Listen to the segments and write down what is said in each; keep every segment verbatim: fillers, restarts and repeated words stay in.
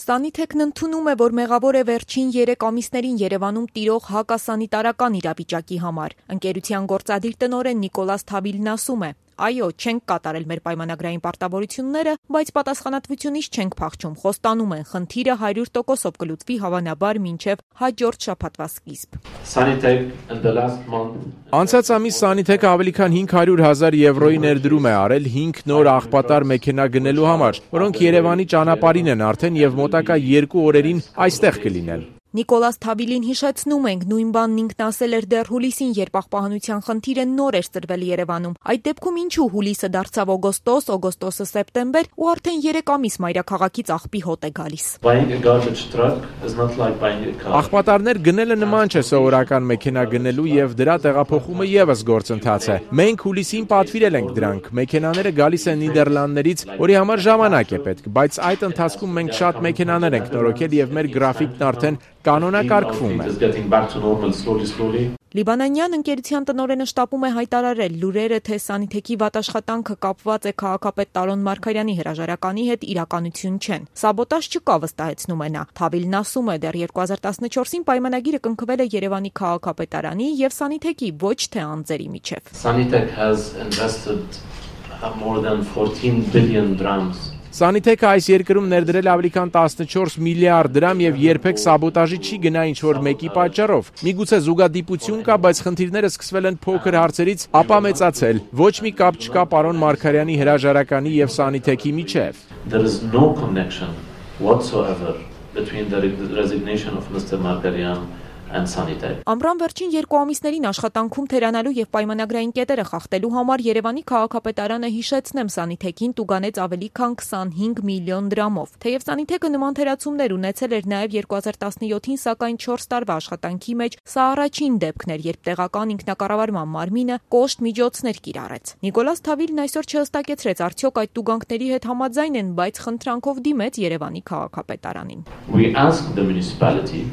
Սանիթեքն ընդունում է, որ մեղավոր է վերջին երեք ամիսներին Երևանում տիրող հակասանիտարական իրավիճակի համար։ Ընկերության գործադիր տնօրեն Նիկոլաս Թավիլն ասում է. Այո, չենք կատարել մեր պայմանագրային պարտավորությունները, բայց պատասխանատվությունից չենք փախչում, խոստանում են, խնդիրը հարյուր տոկոսով կլուծվի հավանաբար մինչև հաջորդ շաբաթվա սկիզբ։ Անցած ամիս Սանիթեքը ավելի քան հինգ հարյուր հազար եվրոյի ներդրում է արել հինգ նոր աղբատար մեքենա գնելու համար, որոնք Երևանի ճանապարհին են արդեն եւ մոտակա երկու օրերին այստեղ կլինեն։ Նիկոլաս Թավիլին հիշեցնում ենք, նույն բանն ինքն ասել էր դեռ հուլիսին, երբ աղբահանության խնդիրը նոր էր ծրվել Երևանում։ Այդ դեպքում ինչու հուլիսը դարձավ օգոստոս, օգոստոսը սեպտեմբեր ու արդեն երեք ամիս մայրաքաղաքից աղբի հոտ է գալիս։ Աղբատարներ գնելը նման չէ սովորական մեքենա գնելու եւ դրա տեղափոխումը եւս գործընթաց է։ Մենք հուլիսին պատվիրել ենք դրանք։ Մեքենաները գալիս են Նիդերլանդներից, որի համար ժամանակ է պետք, բայց այդ ընթացքում մենք շատ մեքենաներ ենք նորոգել եւ մեր գրաֆիկն արդեն կանոնակարգվում է։ Լիբանանյան ընկերության տնօրենը շտապում է հայտարարել լուրերը, թե Սանիթեքի վատաշխատանքը կապված է քաղաքապետ Տարոն Մարգարյանի հրաժարականի հետ, իրականություն չեն։ Սաբոտաժ չկա, վստահեցնում է նա։ Թավիլն ասում է, դեռ երկու հազար տասնչորսին պայմանագիրը կնքվել է Երևանի քաղաքապետարանի եւ Սանիթեքի, ոչ թե անձերի միջև։ Sanitek has invested more than fourteen billion dirhams. Սանիթեքը այս երկրում ներդրել ավելի քան տասնչորս միլիարդ դրամ եւ երբեք սաբոտաժի չի գնա ինչ-որ մեկի պատճառով։ Միգուցե զուգադիպություն կա, բայց խնդիրները սկսվել են փոքր հարցերից, ապա մեծացել։ Ոչ մի կապ չկա պարոն Մարգարյանի հրաժարականի եւ Սանիթեքի միջև։ There is no connection whatsoever between the resignation of Mister Margaryan and Sanitek. Ամռան վերջին երկու ամիսներին աշխատանքում թերանալու եւ պայմանագրային կետերը խախտելու համար Երևանի քաղաքապետարանը, հիշեցնեմ, Սանիթեքին տուգանեց ավելի քան քսանհինգ միլիոն դրամով։ Թեև Սանիթեքը նման թերացումներ ունեցել էր նաեւ երկու հազար տասնյոթին, սակայն չորս տարվա աշխատանքի մեջ սա առաջին դեպքն էր, երբ տեղական ինքնակառավարման մարմինը կոշտ միջոցներ կիրառեց։ Նիկոլաս Թավիլն այսօր չհստակեցրեց, արդյոք այդ տուգանքների հետ համաձայն են, բայց խնդրանքով դիմեց Երևանի քաղաքապետարանին։ We asked the municipality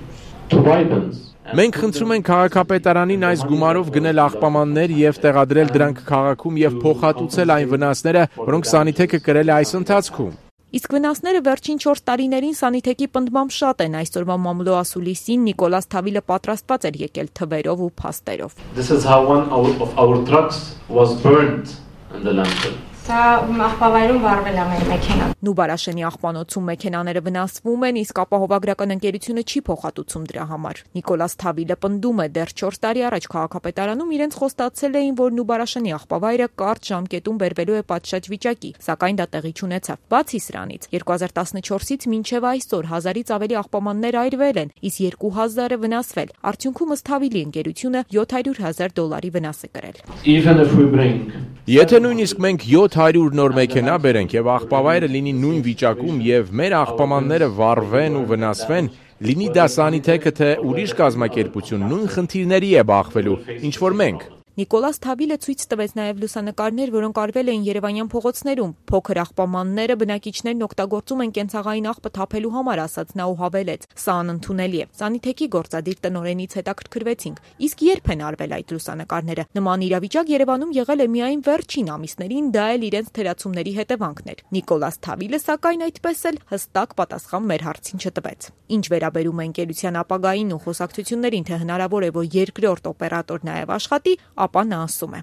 Մենք խնդրում ենք քաղաքապետարանին այս գումարով գնել աղբամաններ եւ տեղադրել դրանք քաղաքում եւ փոխհատուցել այն վնասները, որոնք Սանիթեքը կրել է այս ընթացքում։ Իսկ վնասները վերջին չորս տարիներին Սանիթեքի պնդմամբ շատ են։ Այսօրվա մամուլո ասուլիսին Նիկոլաս Թավիլը պատրաստված էր եկել թվերով ու փաստերով։ This is how one of our trucks was burned in the landfill. Սա աղբավայրում վառվել է մեր մեքենան։ Նուբարաշենի աղբանոցում մեքենաները վնասվում են, իսկ ապահովագրական ընկերությունը չի փոխհատուցում դրա համար։ Նիկոլաս Թավիլը պնդում է, դեռ չորս տարի առաջ քաղաքապետարանում իրենց խոստացել էին, որ Նուբարաշենի աղբավայրը կարճ ժամկետում բերվելու է պատշաճ վիճակի, սակայն դա տեղի չունեցավ։ Բացի սրանից, երկու հազար տասնչորսից մինչև այսօր հազարից ավելի աղբամաններ այրվել են, իսկ երկու հազարը վնասվել։ Արդյունքում ըստ Թավիլի ընկերությունը յոթ հարյուր հազար դոլարի վնաս է կրել։ Even if we bring Եթե նույնիսկ մենք յոթ հարյուր նոր մեքենա բերենք եւ աղբավայրը լինի նույն վիճակում եւ մեր աղբամանները վառվեն ու վնասվեն, լինի դա Սանիթեքը թե ուրիշ կազմակերպություն, նույն խնդիրների է բախվելու, ինչ որ մենք։ Նիկոլաս Թավիլը ցույց տվեց նաև լուսանկարներ, որոնք արվել էին երևանյան փողոցներում։ Փոքր աղբամանները բնակիչներն օգտագործում են կենցաղային աղբը թափելու համար, ասաց նա ու հավելեց. Սա անընդունելի է։ Սանիթեքի գործադիր տնօրենից հետաքրքրվեցինք. իսկ երբ են արվել այդ լուսանկարները։ Նման իրավիճակ Երևանում եղել է միայն վերջին ամիսներին, դա էլ իրենց թերացումների հետևանքն էր։ Նիկոլաս Թավիլը, սակայն, այդպես էլ հստակ պատասխան մեր հարցին չտվեց։ Ինչ վերաբերում է ընկերության ապագային ու խոսակցություններին, թե հնարավոր է, որ երկրորդ օպերատոր նաև աշխատի, ապա նա ասում է.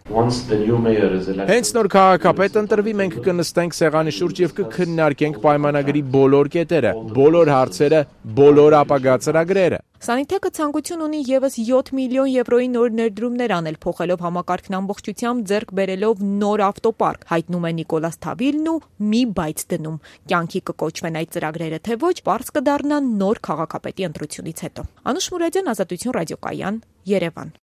Հենց նոր քաղաքապետ ընտրվի, մենք կնստենք սեղանի շուրջ եւ կքննարկենք պայմանագրի բոլոր կետերը, բոլոր հարցերը, բոլոր ապագա ծրագրերը։ Սանիթեքը ցանկություն ունի եւս յոթ միլիոն եվրոյի նոր ներդրումներ անել, փոխելով համակարգն ամբողջությամբ, ձեռք բերելով նոր ավտոպարկ, հայտնում է Նիկոլաս Թավիլն ու մի բայց դնում։ Կյանքի կկոչվեն այդ ծրագրերը, թե ոչ, պարզ կդառնա նոր քաղաքապետի ընտրությունից հետո։ Անուշ Մուրադյան, Ազատություն ռադիոկայան, Երևան։